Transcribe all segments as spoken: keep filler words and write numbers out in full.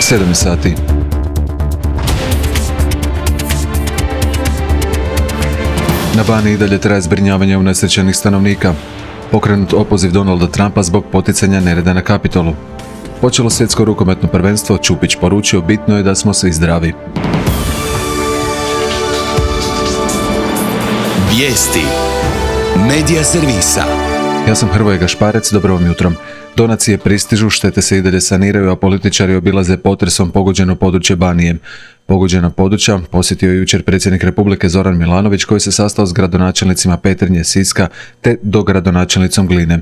sedam sati. Na Baniji i dalje traje zbrinjavanje unesrećenih stanovnika. Pokrenut opoziv Donalda Trumpa zbog poticanja nereda na Kapitolu. Počelo svjetsko rukometno prvenstvo, Čupić poručio bitno je da smo svi zdravi. Vijesti Medija servisa. Ja sam Hrvoje Gašparec, dobro vam jutro. Donacije pristižu, štete se i dalje saniraju, a političari obilaze potresom pogođeno područje Banije. Pogođena područja posjetio je jučer predsjednik Republike Zoran Milanović, koji se sastao s gradonačelnicima Petrinje, Siska te dogradonačelnicom Gline.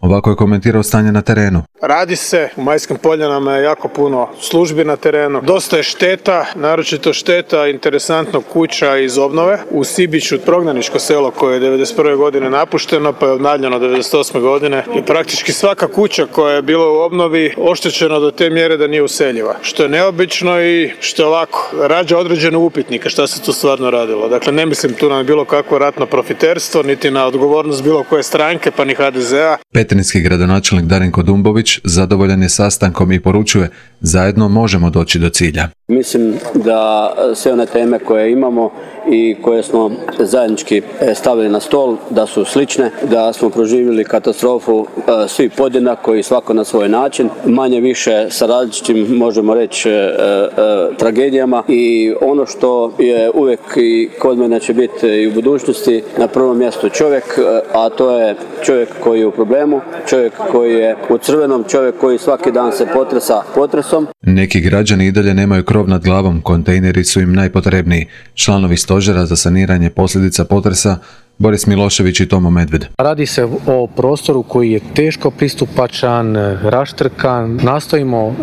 Ovako je komentirao stanje na terenu. Radi se, u Majskim Poljanama je jako puno službi na terenu. Dosta je šteta, naročito šteta interesantno kuća iz obnove. U Sibiću, prognaničko selo koje je devedeset prve godine napušteno pa je obnavljano devedeset osme godine. I praktički svaka kuća koja je bila u obnovi oštećena do te mjere da nije useljiva. Što je neobično i što je ovako, rađa određene upitnike šta se tu stvarno radilo. Dakle, ne mislim tu na bilo kakvo ratno profiterstvo, niti na odgovornost bilo koje stranke, pa ni ha de zea. Petrinjski gradonačelnik Darinko Dumbović zadovoljan je sastankom i poručuje: zajedno možemo doći do cilja. Mislim da sve one teme koje imamo i koje smo zajednički stavili na stol, da su slične, da smo proživjeli katastrofu svi podjednako i svako na svoj način, manje više sa različitim, možemo reći, tragedijama, i ono što je uvijek i kod mene će biti i u budućnosti na prvom mjestu čovjek, a to je čovjek koji je u problemu, čovjek koji je u crvenom, čovjek koji svaki dan se potresa potresom. Neki građani i dalje nemaju krov nad glavom, kontejneri su im najpotrebniji. Članovi stožera za saniranje posljedica potresa Boris Milošević i Tomo Medved. Radi se o prostoru koji je teško pristupačan, raštrkan. Nastojimo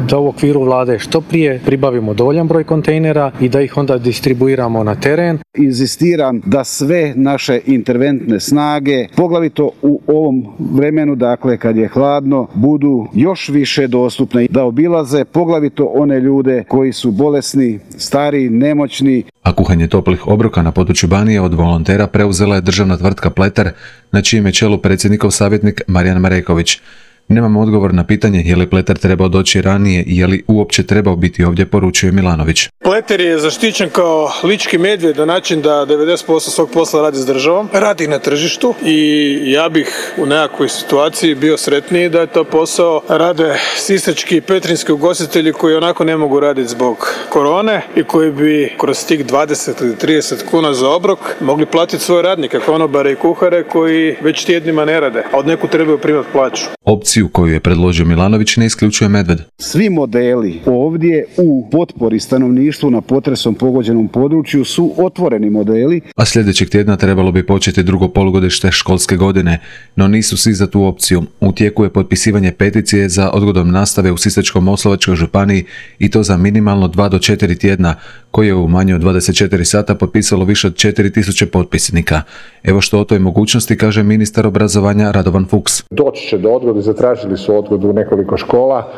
da u okviru vlade što prije pribavimo dovoljan broj kontejnera i da ih onda distribuiramo na teren. Inzistiram da sve naše interventne snage, poglavito u ovom vremenu, dakle kad je hladno, budu još više dostupne, da obilaze poglavito one ljude koji su bolesni, stari, nemoćni. A kuhanje toplih obroka na području Banije od volontera preuzela je državna tvrtka Pleter, na čijem je čelu predsjednikov savjetnik Marijan Mareković. Nemamo odgovor na pitanje je li Pleter trebao doći ranije i je li uopće trebao biti ovdje, poručuje Milanović. Pleter je zaštićen kao lički medvjed na način da devedeset posto svog posla radi s državom, radi na tržištu, i ja bih u nekakvoj situaciji bio sretniji da je to posao rade sisački i petrinjski ugostitelji koji onako ne mogu raditi zbog korone i koji bi kroz tih dvadeset ili trideset kuna za obrok mogli platiti svoje radnike, konobare i kuhare koji već tjednima ne rade, a od neku trebaju primati plaću. Opciju koju je predložio Milanović ne isključuje Medved. Svi modeli ovdje u potpori stanovništvu na potresom pogođenom području su otvoreni modeli. A sljedećeg tjedna trebalo bi početi drugo polugodište školske godine, no nisu svi za tu opciju. U tijeku je potpisivanje peticije za odgodom nastave u Sisačko-moslavačkoj županiji, i to za minimalno dva do četiri tjedna, koje je u manje od dvadeset četiri sata potpisalo više od četiri tisuće potpisnika. Evo što o toj mogućnosti kaže ministar obrazovanja Radovan Fuchs. Doći će do odgode, zatražili su odgodu u nekoliko škola,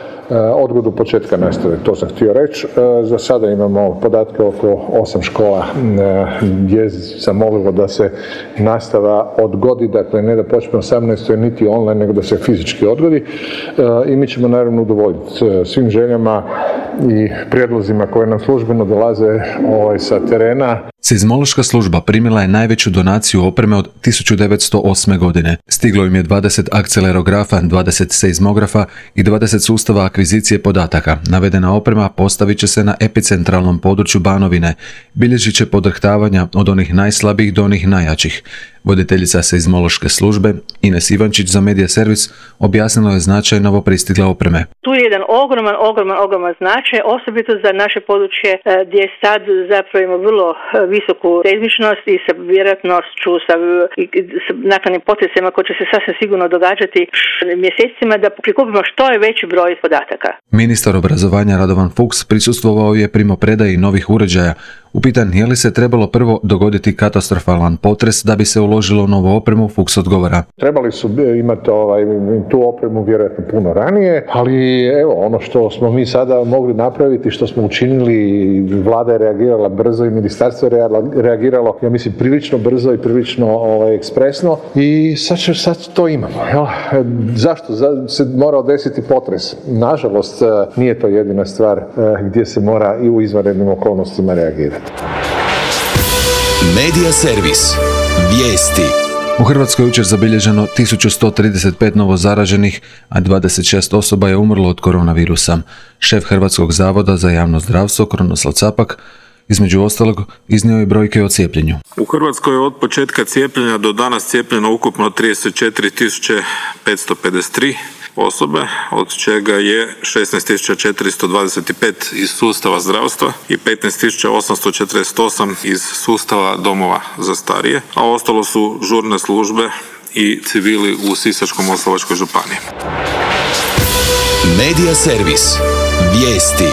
odgodu početka nastave, to sam htio reći. Za sada imamo podatke oko osam škola gdje sam molilo da se nastava odgodi, dakle ne da počne osamnaestog niti online, nego da se fizički odgodi, i mi ćemo naravno udovoljiti svim željama i prijedlozima koje nam službeno dolaze ovaj, sa terena. Seizmološka služba primila je najveću donaciju opreme od tisuću devetsto osme. godine. Stiglo im je dvadeset akcelerografa, dvadeset seizmografa i dvadeset sustava akvizicije podataka. Navedena oprema postavit će se na epicentralnom području Banovine. Bilježit će podrhtavanja od onih najslabijih do onih najjačih. Voditeljica seizmološke službe Ines Ivančić za Medija servis objasnila je značaj novopristigle opreme. Tu je jedan ogroman, ogroman, ogroman značaj, osobito za naše područje gdje sad zapravo ima vrlo visoku seizmičnost i sa vjerojatnošću, sa, sa naknadnim potresima koji će se sasvim sigurno događati mjesecima, da prikupimo što je veći broj podataka. Ministar obrazovanja Radovan Fuchs prisustvovao je primopredaji novih uređaja Upitan je li se trebalo prvo dogoditi katastrofalan potres da bi se uložilo u novu opremu, Fuchs odgovara. Trebali su imati ovaj, tu opremu vjerojatno puno ranije, ali evo ono što smo mi sada mogli napraviti, što smo učinili, vlada je reagirala brzo i ministarstvo je reagiralo, ja mislim, prilično brzo i prilično ovaj, ekspresno i sad, sad to imamo. Jel? Zašto se morao desiti potres? Nažalost, nije to jedina stvar gdje se mora i u izvanrednim okolnostima reagirati. Medija servis. Vijesti. U Hrvatskoj je jučer zabilježeno tisuću sto trideset pet novo zaraženih, a dvadeset šest osoba je umrlo od koronavirusa. Šef Hrvatskog zavoda za javno zdravstvo Krunoslav Capak između ostalog iznio je brojke o cijepljenju. U Hrvatskoj je od početka cijepljenja do danas cijepljeno ukupno trideset četiri tisuće petsto pedeset tri osobe, od čega je šesnaest tisuća četiristo dvadeset pet iz sustava zdravstva i petnaest tisuća osamsto četrdeset osam iz sustava domova za starije, a ostalo su žurne službe i civili u Sisačko-moslavačkoj županiji. Medija servis. Vijesti.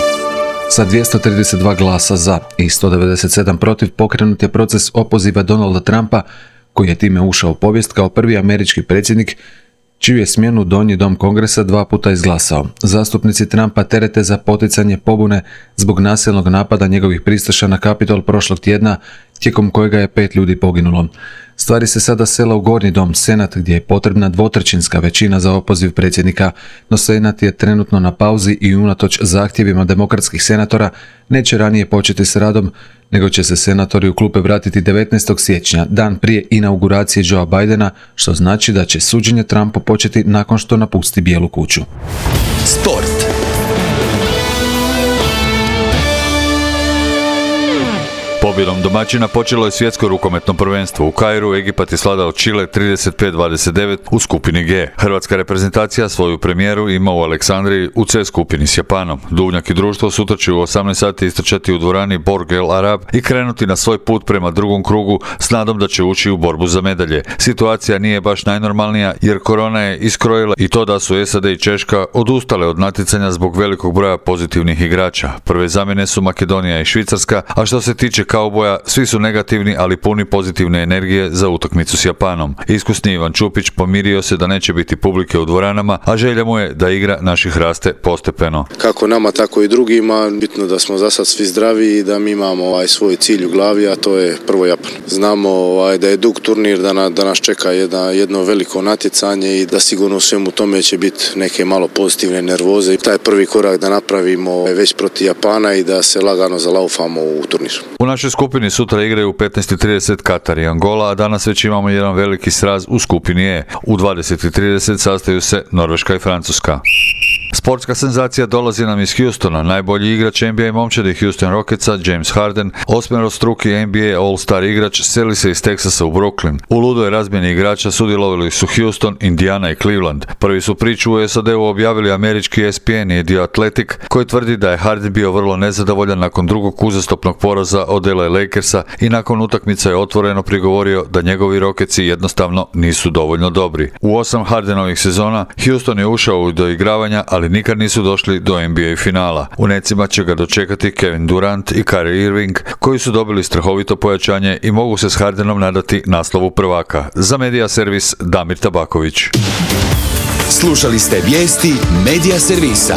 Sa dvjesto trideset dva glasa za i sto devedeset sedam protiv pokrenut je proces opoziva Donalda Trumpa, koji je time ušao u povijest kao prvi američki predsjednik čiju je smjenu Donji dom Kongresa dva puta izglasao. Zastupnici Trumpa terete za poticanje pobune zbog nasilnog napada njegovih pristaša na Kapitol prošlog tjedna, tijekom kojega je pet ljudi poginulo. Stvari se sada sela u Gornji dom, Senat, gdje je potrebna dvotrećinska većina za opoziv predsjednika, no Senat je trenutno na pauzi i unatoč zahtjevima demokratskih senatora neće ranije početi s radom, nego će se senatori u klupe vratiti devetnaestog siječnja, dan prije inauguracije Joea Bidena, što znači da će suđenje Trumpu početi nakon što napusti Bijelu kuću. Sport. Pobjedom domaćina počelo je svjetsko rukometno prvenstvo. U Kairu Egipat je svladao Čile trideset pet dvadeset devet u skupini G. Hrvatska reprezentacija svoju premijeru ima u Aleksandriji u C skupini s Japanom. Duvnjak i društvo sutra će u osamnaest sati istrčati u dvorani Borg El Arab i krenuti na svoj put prema drugom krugu s nadom da će ući u borbu za medalje. Situacija nije baš najnormalnija jer korona je iskrojila i to da su S A D i Češka odustale od natjecanja zbog velikog broja pozitivnih igrača. Prve zamjene su Makedonija i Švicarska, a što se tiče kauboja, svi su negativni, ali puni pozitivne energije za utakmicu s Japanom. Iskusni Ivan Čupić pomirio se da neće biti publike u dvoranama, a želja mu je da igra naših raste postepeno. Kako nama, tako i drugima, bitno da smo za sad svi zdravi i da mi imamo ovaj svoj cilj u glavi, a to je prvo Japan. Znamo ovaj, da je dug turnir, da, na, da nas čeka jedna, jedno veliko natjecanje i da sigurno u svemu tome će biti neke malo pozitivne nervoze. Taj prvi korak da napravimo već protiv Japana i da se lagano zalaufamo u turnir. U našoj skupini sutra igraju u petnaest i trideset Katar i Angola, a danas već imamo jedan veliki sraz u skupini E. U dvadeset i trideset sastaju se Norveška i Francuska. Sportska senzacija dolazi nam iz Houstona. Najbolji igrač N B A momčadi Houston Rocketsa, James Harden, osmerostruki N B A All-Star igrač, seli se iz Teksasa u Brooklyn. U ludoj razmjeni igrača sudjelovali su Houston, Indiana i Cleveland. Prvi su priču u S A D-u objavili američki E S P N i The Athletic, koji tvrdi da je Harden bio vrlo nezadovoljan nakon drugog uzastopnog poraza od L A Lakersa i nakon utakmice je otvoreno prigovorio da njegovi Rocketsi jednostavno nisu dovoljno dobri. U osam Hardenovih sezona Houston je ušao u doigravanja, ali nikad nisu došli do N B A finala. U necima će ga dočekati Kevin Durant i Kyrie Irving, koji su dobili strahovito pojačanje i mogu se s Hardenom nadati naslovu prvaka. Za Medija servis Damir Tabaković. Slušali ste vijesti Medija servisa.